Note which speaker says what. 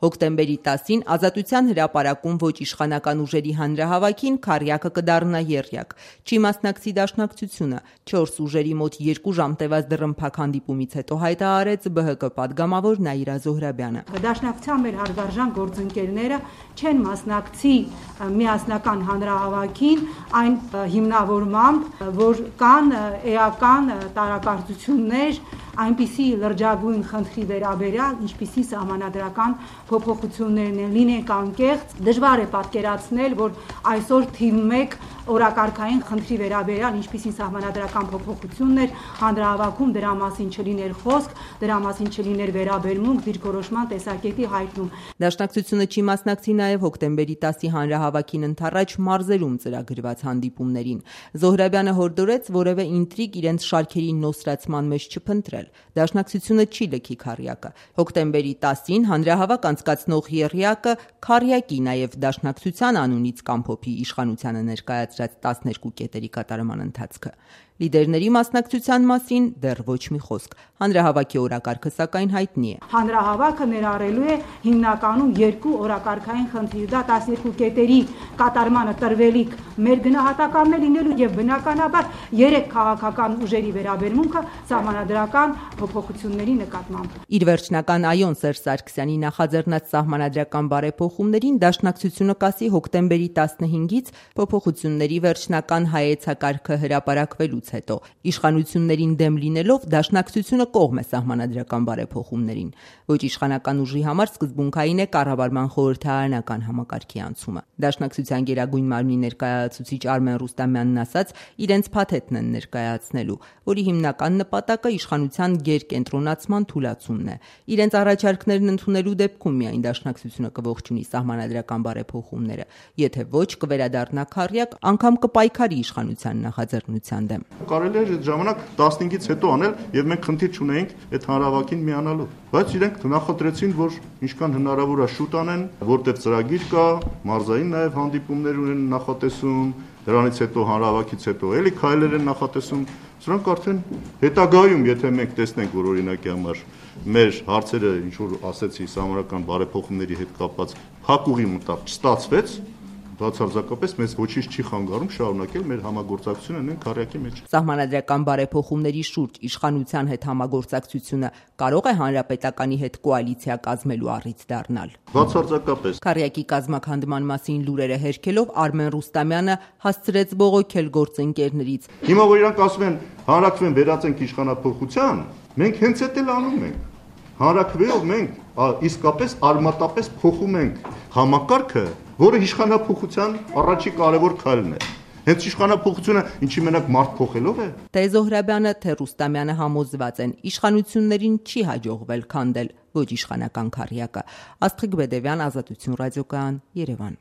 Speaker 1: Հոկտեմբերի 10-ին Ազատության հրապարակում ոչ իշխանական ուժերի հանրահավաքին Քառյակը կդառնա եռյակ։ Չի մասնակցի Դաշնակցությունը։ 4 ուժերի մոտ 2 ժամ տևած դռնփակ հանդիպումից հետո հայտարարեց ԲՀԿ պատգամավոր Նաիրա Զոհրաբյանը։
Speaker 2: Դաշնակցության մեր հարգարժան գործընկերները չեն մասնակցի միասնական հանրահավաքին այն հիմնավորմամբ, որ կան էական տարակարծություններ այնպիսի լրջագույն խնդրի վերաբերյալ, ինչպիսի սահմանադրական փոփոխություններն են, լինենք անկեղծ, դժվար է պատկերացնել, որ այսօր թիվ 1 օրակարգային խնդրի վերաբերյալ, ինչպիսի սահմանադրական փոփոխություններ հանրահավաքում դրա մասին չլիներ խոսք, դրա մասին չլիներ վերաբերմունք, դիրքորոշման տեսակետի հայտնում։
Speaker 1: Դաշնակցությունը չի մասնակցի նաև հոկտեմբերի 10-ի հանրահավաքին ընդառաջ մարզերում ծրագրված հանդիպումներին։ Զոհրաբյանը հորդորեց որևէ ինտրիգ իրենց շարքերի նոսրացման մեջ չփնտրել։ Դաշնակցությունը չի լքի Քառյակը։ Հոկտեմբերի 10-ին հանրահավաք անցկացնող եռյակը Քառյակի նաև Դաշնակցության անունից կամփոփի իշխանությանը ներկայացրած 12 կետերի կատարման ընթացքը։ Լիդերների մասնակցության մասին դեռ ոչ մի խոսք։ Հանրահավաքի օրակարգը սակայն հայտնի է։
Speaker 2: Հանրահավաքը ներառելու է հիմնականում 2 օրակարգային խնդիր, դա 12 կետերի կատարմանը տրվելիք մեր գնահատականն լինելու եւ բնականաբար 3 քաղաքական ուժերի վերաբերմունքը սահմանադրական փոփոխությունների նկատմամբ։
Speaker 1: Իր վերջնական այոն Սերժ Սարգսյանի նախաձեռնած սահմանադրական բարեփոխումներին Դաշնակցությունը կասի հոկտեմբերի 15-ից փոփոխությունների վերջնական հայեցակարգը հրապարակվելուց հետո։ Իշխանություններին դեմ լինելով Դաշնակցությունը կողմ է սահմանադրական բարեփոխումներին։ Ոչ իշխանական ուժի համար սկզբունքային է կառավարման խորհրդարանական համակարգի անցումը։ Դաշնակցության Գերագույն մարմնի ներկայացուցիչ Արմեն Ռուստամյանն ասաց, իրենց փաթեթն են ներկայացնելու, որի հիմնական նպատակը իշխանության գերկենտրոնացման թուլացումն է։ Իրենց առաջարկներն ընդունելու դեպքում միայն Դաշնակցությունը կողջունի սահմանադրական բարեփոխումները, եթե ոչ կվերադառնա Քառյակ, անգամ կպայքարի իշխանության նախաձեռնության դեմ։
Speaker 3: Կարելի էր այդ ժամանակ 15-ից հետո անել եւ մենք խնդիր չունեինք այդ հանրահավաքին միանալու, բայց իրենք նախընտրեցին, որ ինչքան հնարավոր է շուտ անեն, որտեղ ծրագիր կա, մարզային նաեւ հանդիպումներ ունեն նախատեսում, դրանից հետո հանրահավաքից հետո էլի քայլեր են նախատեսում։ Սրանք արդեն հետագայում, եթե մենք տեսնենք, որ օրինակի համար մեր հարցերը ինչ որ ասեցի սահմանադրական բարեփոխումների հետ կապված փակուղի մտավ չստացվեց, բացարձակապես մեզ ոչինչ չի խանգարում շարունակել մեր համագործակցությունը նույն Քառյակի մեջ։
Speaker 1: Սահմանադրական բարեփոխումների շուրջ իշխանության հետ համագործակցությունը կարող է հանրապետականի հետ կոալիցիա կազմելու առիթ դառնալ։
Speaker 3: Բացարձակապես։
Speaker 1: Քառյակի կազմաքանդման մասին լուրերը հերքելով Արմեն Ռուստամյանը հասցրեց բողոքել գործընկերներից։
Speaker 3: Հիմա որ իրանք ասում են հանրակրվեն վերածենք իշխանափոխության, մենք հենց այդ էլ անում ենք։ Հանրակրվելով մենք իսկապես արմատապես փոխում ենք համակարգը, որը իշխանափոխության առաջի կարևոր քայլն է։ Հենց իշխանափոխությունը ինչի մենակ մարդ փոխելով է։
Speaker 1: Թե Զոհրաբյանը, թե Ռուստամյանը համոզված են, իշխանություններին չի հաջողվել քանդել ոչ իշխանական Քառյակը։ Աստղիկ Բեդևյան, Ազատություն ռադիոկայան, Երևան։